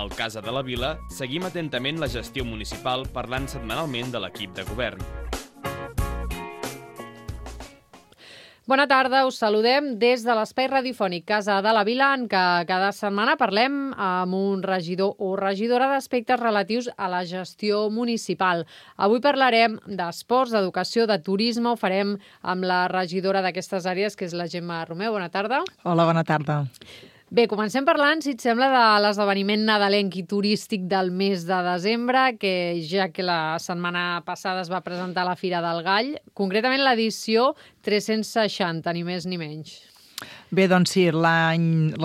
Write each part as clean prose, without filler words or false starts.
Al Casa de la Vila seguim atentament la gestió municipal parlant setmanalment de l'equip de govern. Bona tarda, us saludem des de l'espai radiofònic Casa de la Vila, en què cada setmana parlem amb un regidor o regidora d'aspectes relatius a la gestió municipal. Avui parlarem d'esports, d'educació, de turisme. Ho farem amb la regidora d'aquestes àrees, que és la Gemma Romeu. Bona tarda. Hola, bona tarda. Bé, comencem parlant, si et sembla, de l'esdeveniment nadalenc i turístic del mes de desembre, que ja que la setmana passada es va presentar a la Fira del Gall, concretament l'edició 360, ni més ni menys. Bé, doncs sí, la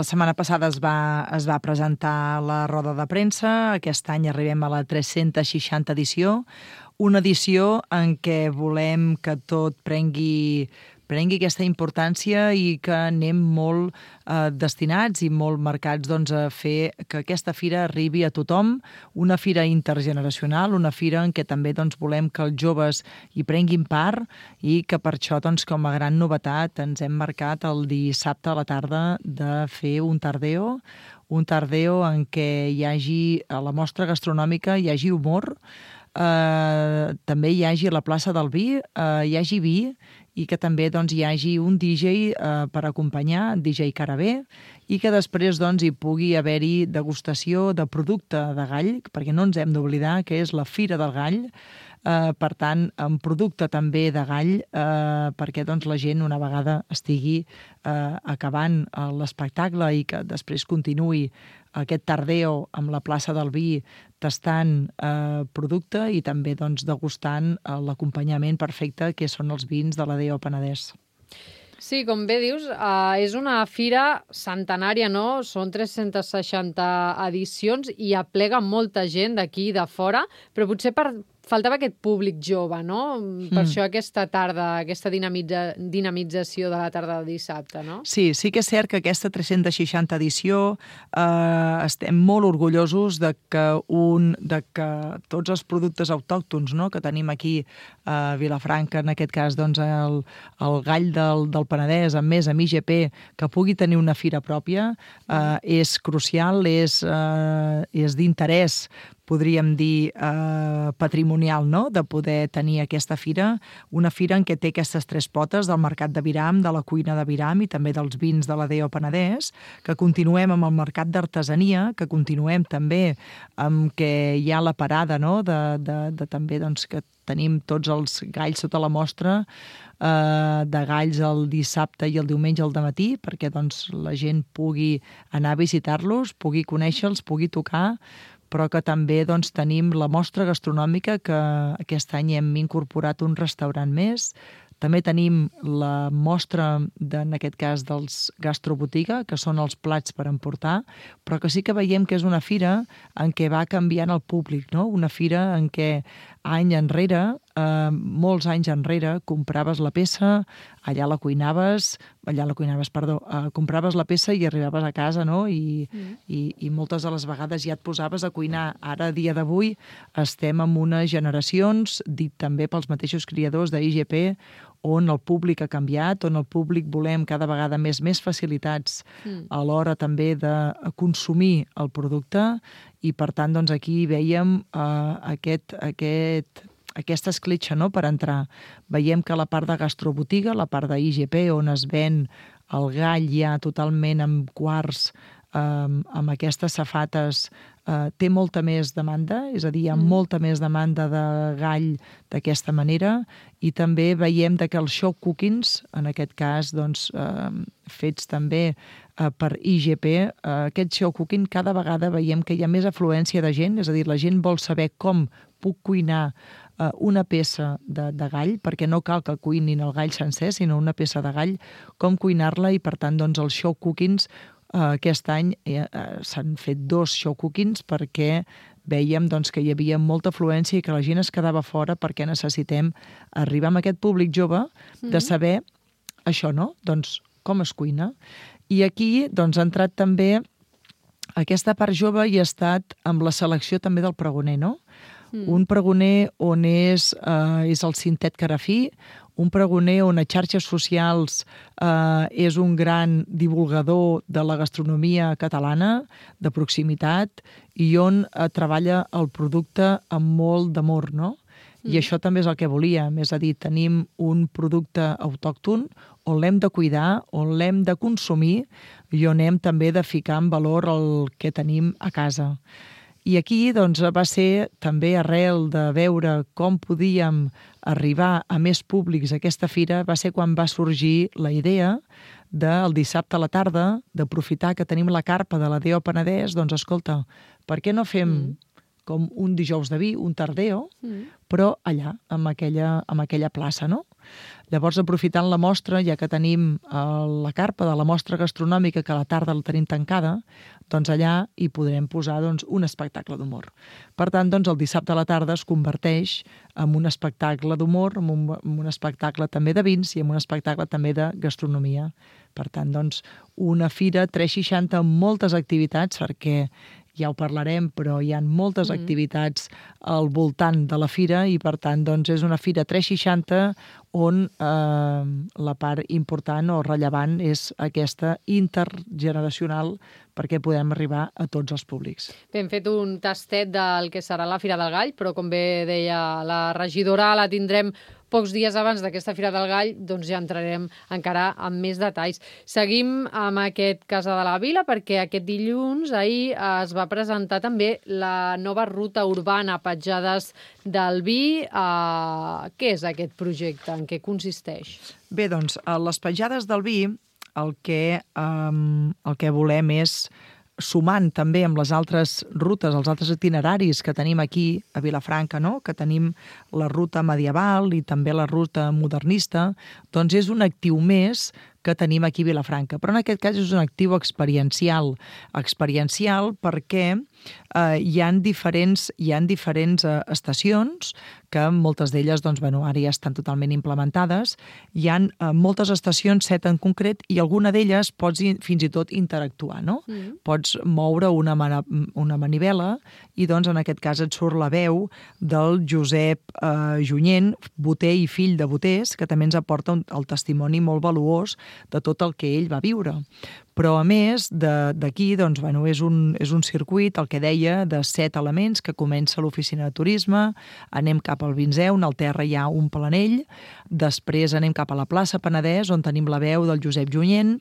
setmana passada es va presentar la roda de premsa. Aquest any arribem a la 360 edició, una edició en què volem que tot prengui aquesta importància i que anem molt destinats i molt marcats a fer que aquesta fira arribi a tothom, una fira intergeneracional, una fira en què també volem que els joves hi prenguin part i que per això, com a gran novetat, ens hem marcat el dissabte a la tarda de fer un tardeo en què hi hagi, a la mostra gastronòmica, hi hagi humor, també hi hagi a la plaça del vi, hi hagi vi, i que també hi hagi un DJ per acompanyar, DJ Carabé, i que després hi pugui haver-hi degustació de producte de gall, perquè no ens hem d'oblidar que és la Fira del Gall, per tant, amb producte també de gall, perquè la gent, una vegada estigui acabant l'espectacle i que després continuï aquest tardeo amb la plaça del vi tastant producte i també degustant l'acompanyament perfecte que són els vins de la DO Penedès. Sí, com bé dius, és una fira centenària, no? Són 360 edicions i aplega molta gent d'aquí i de fora, però potser faltava aquest públic jove, no? Per això aquesta tarda, aquesta dinamització de la tarda de dissabte, no? Sí que és cert que aquesta 360 edició estem molt orgullosos de que tots els productes autòctons, no?, que tenim aquí a Vilafranca, en aquest cas el gall del Penedès, amb IGP, que pugui tenir una fira pròpia, és crucial, és d'interès, podríem dir, patrimonial, no?, de poder tenir aquesta fira, una fira en què té aquestes tres potes del mercat de Viram, de la cuina de Viram i també dels vins de la DO Penedès, que continuem amb el mercat d'artesania, que continuem també amb que hi ha la parada, no?, de també que tenim tots els galls sota la mostra, de galls el dissabte i el diumenge al dematí, perquè la gent pugui anar a visitar-los, pugui conèixer-los, pugui tocar, però que també tenim la mostra gastronòmica, que aquest any hem incorporat un restaurant més. També tenim la mostra, en aquest cas, dels gastrobotiga, que són els plats per emportar, però que sí que veiem que és una fira en què va canviant el públic, no? Una fira en què molts anys enrere, compraves la peça, compraves la peça i arribaves a casa, no? I moltes de les vegades ja et posaves a cuinar. Ara, a dia d'avui, estem en unes generacions, dit també pels mateixos criadors d'IGP, on el públic ha canviat, on el públic volem cada vegada més facilitats a l'hora també de consumir el producte, i per tant aquí veiem aquesta escletxa, no?, per entrar. Veiem que la part de gastrobotiga, la part d'IGP, on es ven el gall ja totalment amb quarts, amb aquestes safates, té molta més demanda, és a dir, hi ha molta més demanda de gall d'aquesta manera, i també veiem que els show cookings, en aquest cas fets també per IGP, aquest show cooking cada vegada veiem que hi ha més afluència de gent, és a dir, la gent vol saber com puc cuinar una peça de gall, perquè no cal que cuinin el gall sencer, sinó una peça de gall, com cuinar-la, i per tant els show cookings aquest any s'han fet 2 show cookings perquè vèiem que hi havia molta afluència i que la gent es quedava fora, perquè necessitem arribar amb aquest públic jove de saber això, no? Com es cuina. I aquí ha entrat també aquesta part jove i ha estat amb la selecció també del pregoner, no? Un pregoner on és el Cintet Carafí, un pregoner on a xarxes socials és un gran divulgador de la gastronomia catalana, de proximitat, i on treballa el producte amb molt d'amor, no? I això també és el que volíem, és a dir, tenim un producte autòcton on l'hem de cuidar, on l'hem de consumir i on hem també de ficar en valor el que tenim a casa. I aquí doncs, va ser també arrel de veure com podíem arribar a més públics a aquesta fira, va ser quan va sorgir la idea del dissabte a la tarda, d'aprofitar que tenim la carpa de la Deo Penedès, doncs escolta, per què no fem com un dijous de vi, un tardeo, però allà, amb aquella plaça, no? Llavors, aprofitant la mostra, ja que tenim la carpa de la mostra gastronòmica, que a la tarda la tenim tancada, doncs allà hi podrem posar un espectacle d'humor. Per tant, doncs, el dissabte a la tarda es converteix en un espectacle d'humor, en un espectacle també de vins i en un espectacle també de gastronomia. Per tant, doncs, una fira 360 amb moltes activitats, perquè ja ho parlarem, però hi ha moltes activitats al voltant de la fira i, per tant, doncs, és una fira 360 on la part important o rellevant és aquesta intergeneracional perquè podem arribar a tots els públics. Bé, hem fet un tastet del que serà la Fira del Gall, però com bé deia la regidora, la tindrem pocs dies abans d'aquesta Fira del Gall, doncs ja entrarem encara amb més detalls. Seguim amb aquest Casa de la Vila, perquè aquest dilluns, ahir, es va presentar també la nova ruta urbana Petjades del Vi. Què és aquest projecte? En què consisteix? Bé, doncs, a les Petjades del Vi el que volem és, sumant també amb les altres rutes, els altres itineraris que tenim aquí a Vilafranca, no? Que tenim la ruta medieval i també la ruta modernista, doncs és un actiu més que tenim aquí a Vilafranca. Però en aquest cas és un actiu experiencial. Experiencial perquè hi ha diferents estacions que moltes d'elles doncs, ara ja estan totalment implementades. Hi ha moltes estacions, 7 en concret, i alguna d'elles pots fins i tot interactuar, no? Pots moure una manivela i doncs en aquest cas et surt la veu del Josep Junyent, boter i fill de boters, que també ens aporta el testimoni molt valuós de tot el que ell va viure. Però, a més, d'aquí doncs, és un circuit, el que deia, de 7 elements, que comença a l'oficina de turisme, anem cap al Vinzeu, on al terra hi ha un planell, després anem cap a la plaça Penedès, on tenim la veu del Josep Junyent,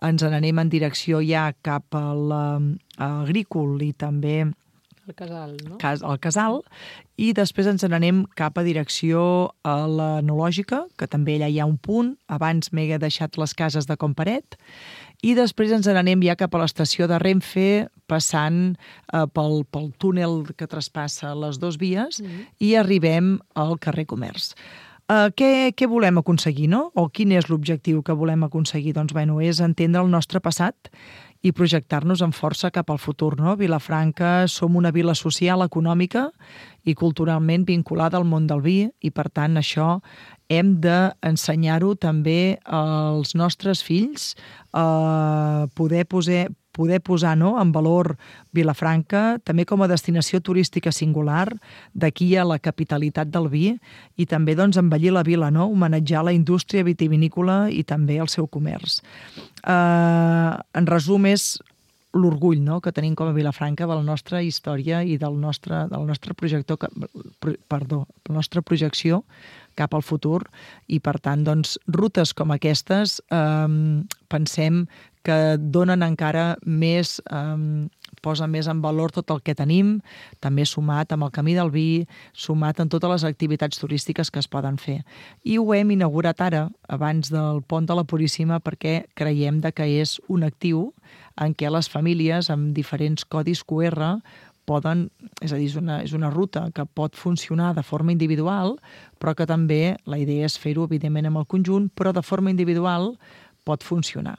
ens n'anem en direcció ja cap a l'Agrícol i també el Casal, no? El Casal, i després ens n'anem cap a direcció a l'Enològica, que també allà hi ha un punt, abans m'he deixat les cases de Comparet, i després ens n'anem ja cap a l'estació de Renfe, passant pel túnel que traspassa les 2 vies, i arribem al carrer Comerç. Què volem aconseguir, no? O quin és l'objectiu que volem aconseguir? Doncs, és entendre el nostre passat i projectar-nos amb força cap al futur, no? Vilafranca som una vila social, econòmica i culturalment vinculada al món del vi i, per tant, això hem d'ensenyar-ho també als nostres fills, poder posar en valor Vilafranca també com a destinació turística singular d'aquí a la capitalitat del vi i també doncs, embellir la vila, no? Homenatjar la indústria vitivinícola i també el seu comerç. En resum, és l'orgull, no?, que tenim com a Vilafranca de la nostra història i de la nostra projecció cap al futur i, per tant, doncs, rutes com aquestes pensem que donen encara més, posa més en valor tot el que tenim, també sumat amb el Camí del Vi, sumat en totes les activitats turístiques que es poden fer. I ho hem inaugurat ara, abans del Pont de la Puríssima, perquè creiem que és un actiu en què les famílies amb diferents codis QR poden, és a dir, és una ruta que pot funcionar de forma individual, però que també la idea és fer-ho, evidentment, amb el conjunt, però de forma individual pot funcionar.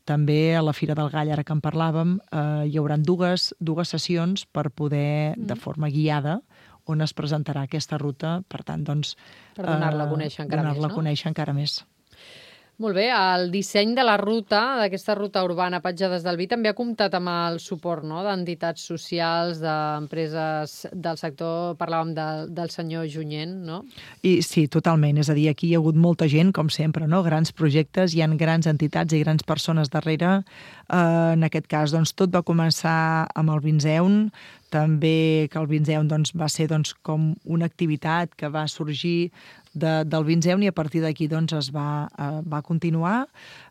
També a la Fira del Gall, ara que en parlàvem, hi haurà dues sessions per poder, de forma guiada, on es presentarà aquesta ruta, per tant, doncs... Per donar-la a conèixer encara més, no? Donar-la a conèixer encara més. Molt bé, el disseny de la ruta, d'aquesta ruta urbana Petjades del Vi, també ha comptat amb el suport, no?, d'entitats socials, d'empreses del sector. Parlàvem del senyor Junyent, no? I sí, totalment. És a dir, aquí hi ha hagut molta gent, com sempre, no? Grans projectes, hi ha grans entitats i grans persones darrere. En aquest cas, doncs, tot va començar amb el Vinzeun, també que el Vinzeun va ser com una activitat que va sorgir del Vinzeun i a partir d'aquí es va continuar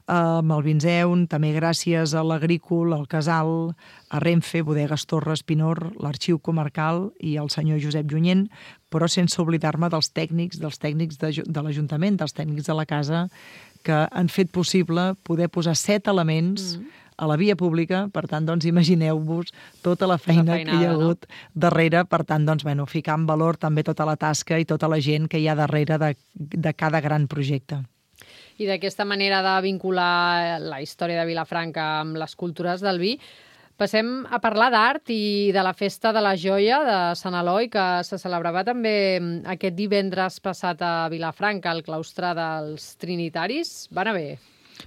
amb el Vinzeun, també gràcies a l'Agrícol, al Casal, a Renfe, Bodegues Torres, Pinor, l'Arxiu Comarcal i el senyor Josep Junyent, però sense oblidar-me dels tècnics de l'Ajuntament, dels tècnics de la casa, que han fet possible poder posar 7 elements a la via pública. Per tant, imagineu-vos tota la feina que hi ha hagut darrere. Per tant, ficar en valor també tota la tasca i tota la gent que hi ha darrere de cada gran projecte. I d'aquesta manera de vincular la història de Vilafranca amb les cultures del vi, passem a parlar d'art i de la Festa de la Joia de Sant Eloi, que se celebrava també aquest divendres passat a Vilafranca, al claustre dels Trinitaris. Va anar bé?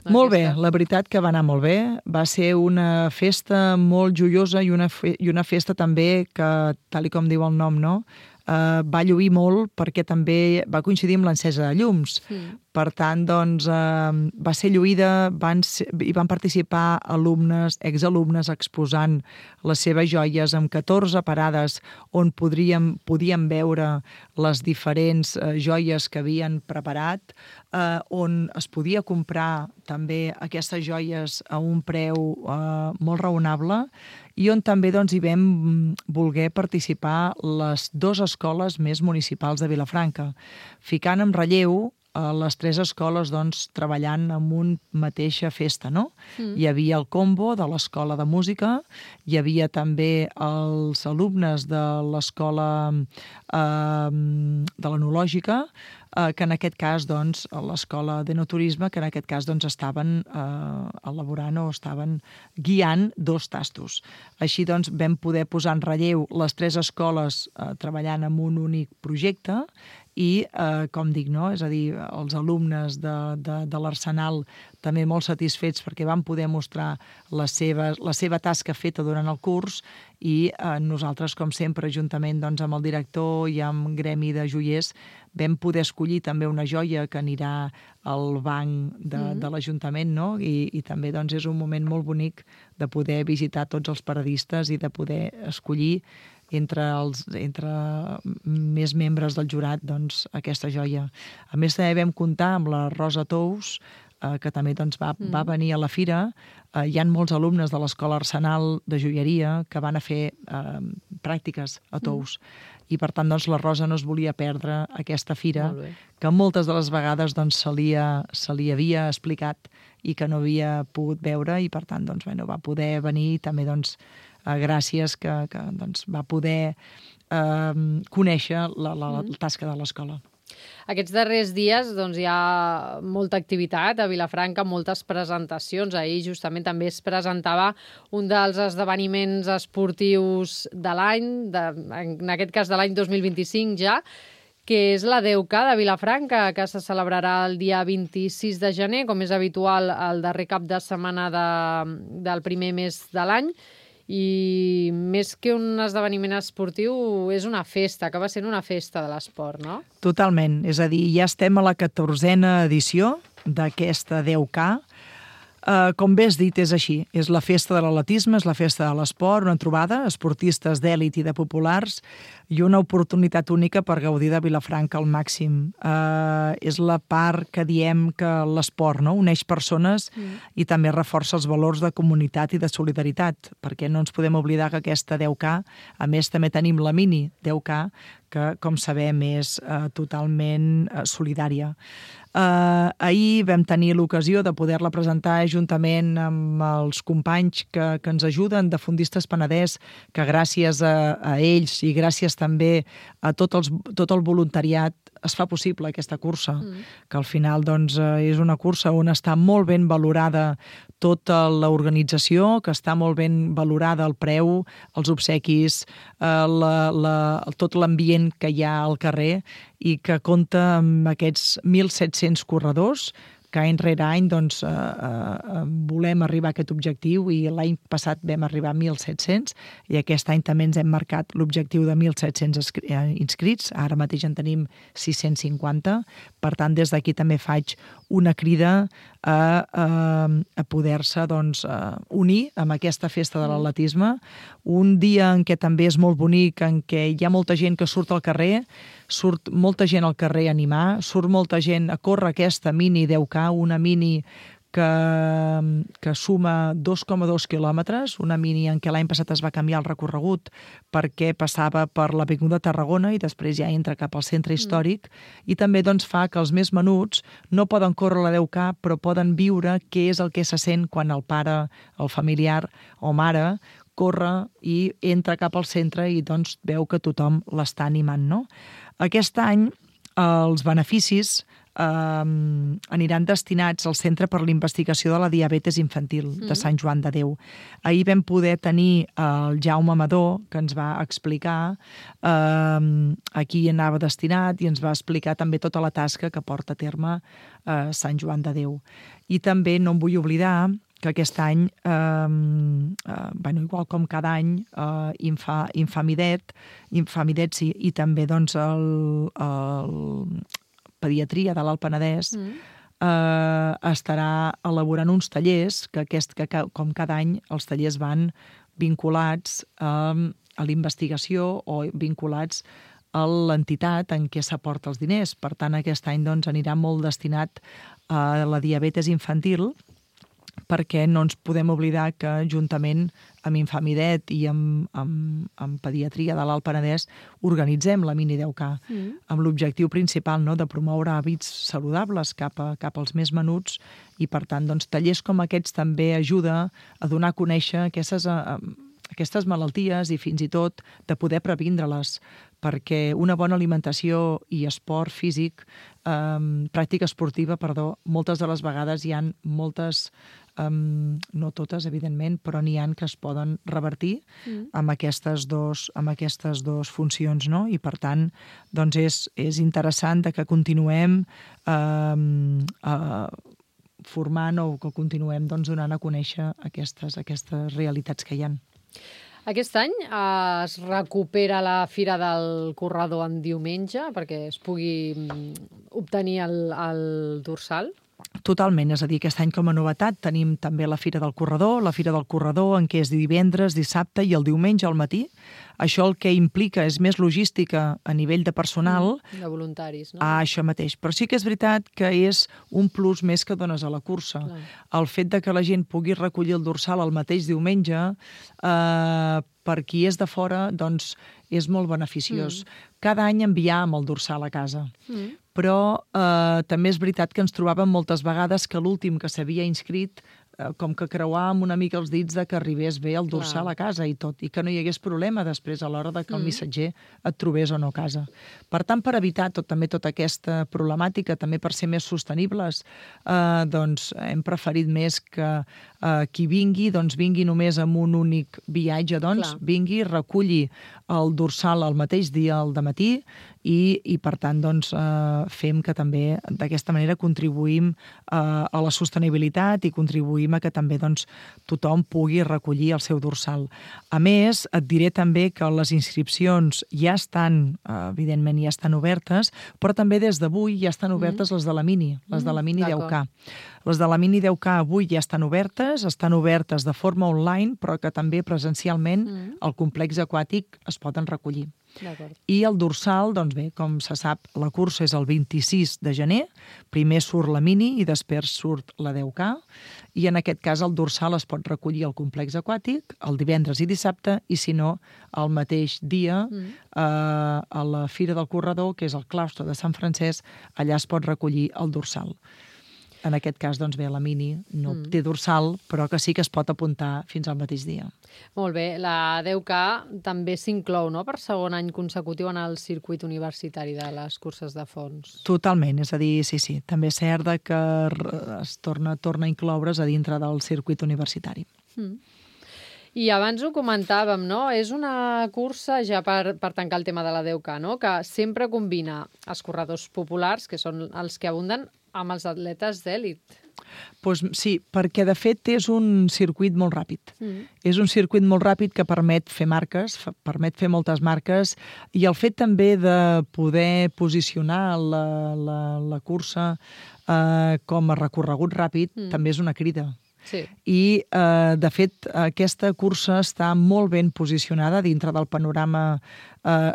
Molt bé, la veritat que va anar molt bé. Va ser una festa molt joiosa i una festa també que, tal com diu el nom, no?, va lluir molt perquè també va coincidir amb l'encesa de llums. Per tant, va ser lluïda, hi van participar alumnes, exalumnes, exposant les seves joies amb 14 parades on podíem veure les diferents joies que havien preparat, on es podia comprar també aquestes joies a un preu molt raonable i on també hi vam voler participar les 2 escoles més municipals de Vilafranca, ficant en relleu les 3 escoles treballant en una mateixa festa, no? Hi havia el combo de l'Escola de Música, hi havia també els alumnes de l'Escola de l'Enològica, que en aquest cas, l'Escola d'Enoturisme, que en aquest cas estaven elaborant o estaven guiant 2 tastos. Així vam poder posar en relleu les 3 escoles treballant en un únic projecte i, com dic, no?, és a dir, els alumnes de l'Arsenal també molt satisfets perquè van poder mostrar la seva tasca feta durant el curs i nosaltres, com sempre, juntament amb el director i amb gremi de joiers, vam poder escollir també una joia que anirà al banc de l'Ajuntament, no? I també és un moment molt bonic de poder visitar tots els paradistes i de poder escollir entre més membres del jurat aquesta joia. A més, també vam comptar amb la Rosa Tous, que també va venir a la fira. Hi ha molts alumnes de l'Escola Arsenal de Joieria que van a fer pràctiques a Tous. I, per tant, la Rosa no es volia perdre aquesta fira, que moltes de les vegades se li havia explicat i que no havia pogut veure i, per tant, va poder venir i també gràcies que va poder conèixer la tasca de l'escola. Aquests darrers dies hi ha molta activitat a Vilafranca, moltes presentacions. Ahir justament també es presentava un dels esdeveniments esportius de l'any, en aquest cas de l'any 2025 ja, que és la 10K de Vilafranca, que se celebrarà el dia 26 de gener, com és habitual el darrer cap de setmana del primer mes de l'any. I més que un esdeveniment esportiu, és una festa, acaba sent una festa de l'esport, no? Totalment. És a dir, ja estem a la 14a edició d'aquesta 10K. Com bé has dit, és així. És la festa de l'atletisme, és la festa de l'esport, una trobada, esportistes d'èlit i de populars, i una oportunitat única per gaudir de Vilafranca al màxim. És la part que diem que l'esport uneix persones i també reforça els valors de comunitat i de solidaritat, perquè no ens podem oblidar que aquesta 10K, a més també tenim la mini 10K, que, com sabem, és totalment solidària. Ahir vam tenir l'ocasió de poder-la presentar juntament amb els companys que ens ajuden de Fondistes Penedès, que gràcies a ells i gràcies també a tot el voluntariat es fa possible aquesta cursa, que al final és una cursa on està molt ben valorada tota l'organització, que està molt ben valorada el preu, els obsequis, tot l'ambient que hi ha al carrer i que compta amb aquests 1.700 corredors que any rere any doncs, volem arribar a aquest objectiu i l'any passat vam arribar a 1.700 i aquest any també ens hem marcat l'objectiu de 1.700 inscrits. Ara mateix en tenim 650. Per tant, des d'aquí també faig una crida a poder-se doncs, unir amb aquesta festa de l'atletisme. Un dia en què també és molt bonic, en què hi ha molta gent que surt al carrer, surt molta gent al carrer a animar, surt molta gent a córrer aquesta mini 10K, una mini que suma 2,2 quilòmetres, una mini en què l'any passat es va canviar el recorregut perquè passava per l'Avinguda Tarragona i després ja entra cap al centre històric i també doncs, fa que els més menuts no poden córrer la 10K però poden viure què és el que se sent quan el pare, el familiar o mare corre i entra cap al centre i doncs veu que tothom l'està animant, no? Aquest any els beneficis aniran destinats al Centre per la Investigació de la Diabetes Infantil de Sant Joan de Déu. Ahir vam poder tenir el Jaume Amador, que ens va explicar a qui anava destinat i ens va explicar també tota la tasca que porta a terme Sant Joan de Déu. I també no em vull oblidar que aquest any, igual com cada any, Infamidet sí, i també doncs, el Pediatria de l'Alt Penedès estarà elaborant uns tallers que com cada any els tallers van vinculats a l'investigació o vinculats a l'entitat en què s'aporta els diners. Per tant, aquest any doncs, anirà molt destinat a la diabetes infantil perquè no ens podem oblidar que juntament amb Infamidet i amb Pediatria de l'Alt Penedès organitzem la Mini 10K amb l'objectiu principal de promoure hàbits saludables cap als més menuts i, per tant, doncs, tallers com aquests també ajuda a donar a conèixer aquestes malalties i fins i tot de poder previndre-les, perquè una bona alimentació i esport físic, pràctica esportiva, moltes de les vegades hi ha moltes, no totes, evidentment, però n'hi ha que es poden revertir amb aquestes dos funcions, no? I, per tant, doncs és interessant que continuem formant o que continuem donant a conèixer aquestes realitats que hi ha. Aquest any es recupera la Fira del Corredor en diumenge perquè es pugui obtenir el dorsal? Totalment, és a dir, aquest any com a novetat tenim també la Fira del Corredor en què és divendres, dissabte i el diumenge al matí. Això el que implica és més logística a nivell de personal. De voluntaris, no? Això mateix. Però sí que és veritat que és un plus més que dones a la cursa. Clar. El fet de que la gent pugui recollir el dorsal el mateix diumenge, per qui és de fora, doncs és molt beneficiós. Cada any enviàvem el dorsal a casa. Però també és veritat que ens trobàvem moltes vegades que l'últim que s'havia inscrit com que creuàvem una mica els dits de que arribés bé el dorsal a casa i tot, i que no hi hagués problema després a l'hora de que el missatger et trobés o no a casa. Per tant, per evitar també tota aquesta problemàtica, també per ser més sostenibles, doncs hem preferit més que qui vingui, doncs vingui només amb un únic viatge, doncs vingui, reculli el dorsal el mateix dia al dematí i per tant, doncs, fem que també d'aquesta manera contribuïm a la sostenibilitat i contribuïm a que també doncs, tothom pugui recollir el seu dorsal. A més, et diré també que les inscripcions ja estan, evidentment ja estan obertes, però també des d'avui ja estan obertes les de la Mini, les de la Mini 10K. Les de la Mini 10K avui ja estan obertes de forma online, però que també presencialment al complex aquàtic es poden recollir. I el dorsal, doncs bé, com se sap, la cursa és el 26 de gener, primer surt la Mini i després surt la 10K, i en aquest cas el dorsal es pot recollir al complex aquàtic el divendres i dissabte, i si no, el mateix dia a la Fira del Corredor, que és el claustre de Sant Francesc, allà es pot recollir el dorsal. En aquest cas, doncs bé, la Mini no té dorsal, però que sí que es pot apuntar fins al mateix dia. Molt bé. La 10K també s'inclou, no?, per segon any consecutiu en el circuit universitari de les curses de fons. Totalment, és a dir, sí. També és cert que es torna a incloure's a dintre del circuit universitari. I abans ho comentàvem, no? És una cursa, ja per tancar el tema de la 10K, no?, que sempre combina els corredors populars, que són els que abunden, amb els atletes d'èlit. Pues sí, perquè de fet és un circuit molt ràpid. És un circuit molt ràpid que permet fer marques, permet fer moltes marques, i el fet també de poder posicionar la cursa com a recorregut ràpid també és una crida. Sí. I, de fet, aquesta cursa està molt ben posicionada dintre del panorama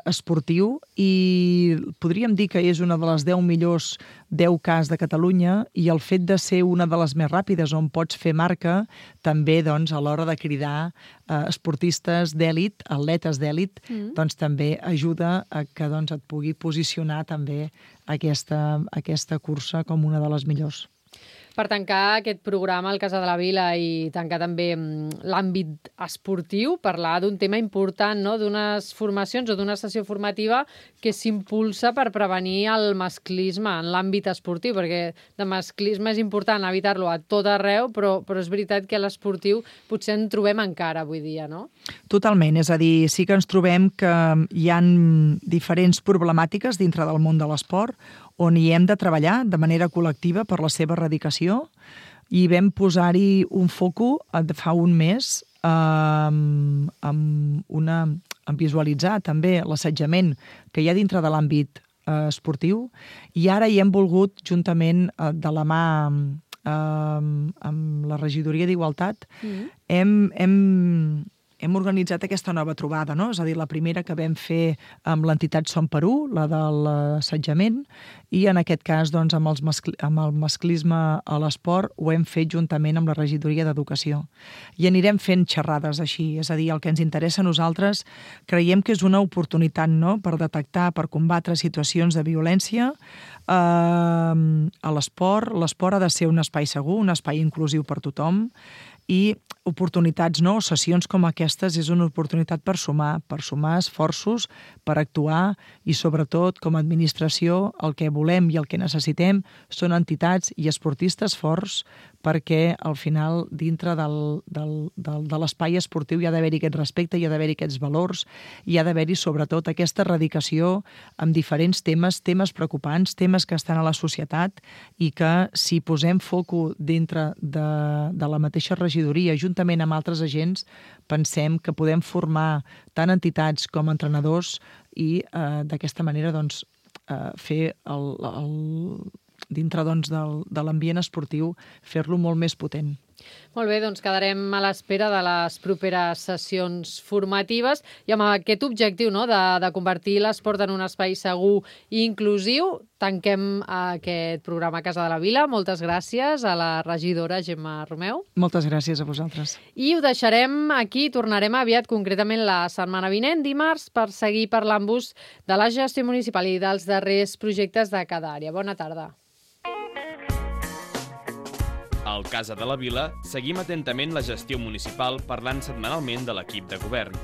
esportiu i podríem dir que és una de les 10 millors 10 Ks de Catalunya, i el fet de ser una de les més ràpides on pots fer marca també, doncs, a l'hora de cridar esportistes d'èlit, atletes d'èlit, doncs també ajuda a que doncs, et pugui posicionar també aquesta cursa com una de les millors. Per tancar aquest programa al Casa de la Vila i tancar també l'àmbit esportiu, parlar d'un tema important, no? D'unes formacions o d'una sessió formativa que s'impulsa per prevenir el masclisme en l'àmbit esportiu, perquè de masclisme és important evitar-lo a tot arreu, però és veritat que a l'esportiu potser en trobem encara avui dia, no? Totalment, és a dir, sí que ens trobem que hi ha diferents problemàtiques dintre del món de l'esport on hi hem de treballar de manera col·lectiva per la seva erradicació, i vam posar-hi un foco fa un mes en visualitzar també l'assetjament que hi ha dintre de l'àmbit esportiu, i ara hi hem volgut, juntament de la mà amb la Regidoria d'Igualtat, hem organitzat aquesta nova trobada, no? És a dir, la primera que vam fer amb l'entitat Som Perú, la de l'assetjament, i en aquest cas, doncs, amb el masclisme a l'esport ho hem fet juntament amb la Regidoria d'Educació. I anirem fent xerrades així, és a dir, el que ens interessa a nosaltres, creiem que és una oportunitat, no?, per detectar, per combatre situacions de violència a l'esport. L'esport ha de ser un espai segur, un espai inclusiu per tothom, i oportunitats, no? Sessions com aquestes és una oportunitat per sumar esforços, per actuar, i sobretot com a administració el que volem i el que necessitem són entitats i esportistes forts, perquè al final dintre de l'espai esportiu hi ha d'haver-hi aquest respecte, hi ha d'haver-hi aquests valors, hi ha d'haver-hi sobretot aquesta erradicació amb diferents temes preocupants, temes que estan a la societat, i que si posem foco dintre de la mateixa regidoria juntament amb altres agents, pensem que podem formar tant entitats com entrenadors i d'aquesta manera doncs, fer dintre doncs, de l'ambient esportiu, fer-lo molt més potent. Molt bé, doncs quedarem a l'espera de les properes sessions formatives i amb aquest objectiu, no?, de convertir l'esport en un espai segur i inclusiu. Tanquem aquest programa a Casa de la Vila. Moltes gràcies a la regidora Gemma Romeu. Moltes gràcies a vosaltres. I ho deixarem aquí. Tornarem aviat, concretament la setmana vinent, dimarts, per seguir parlant-vos de la gestió municipal i dels darrers projectes de cada àrea. Bona tarda. Al Casa de la Vila seguim atentament la gestió municipal parlant setmanalment de l'equip de govern.